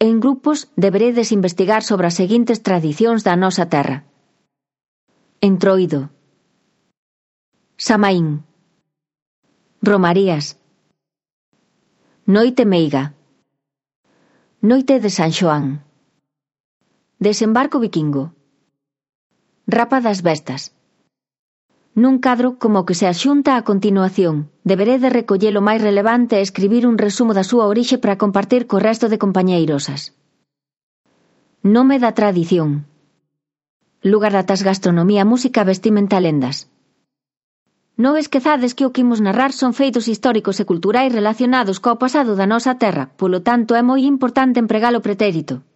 En grupos deberedes investigar sobre as seguintes tradicións da nosa terra. Entroido, Samaín, Romarías, Noite meiga, Noite de San Xoán, Desembarco vikingo, Rapa das bestas. Nun cadro como que se axunta a continuación, deberede recoller o máis relevante e escribir un resumo da súa orixe para compartir co resto de compañeirosas. Nome da tradición. Lugar datas gastronomía, música, vestimenta, lendas. Non esquezades que o que imos narrar son feitos históricos e culturais relacionados co pasado da nosa terra, polo tanto é moi importante empregar o pretérito.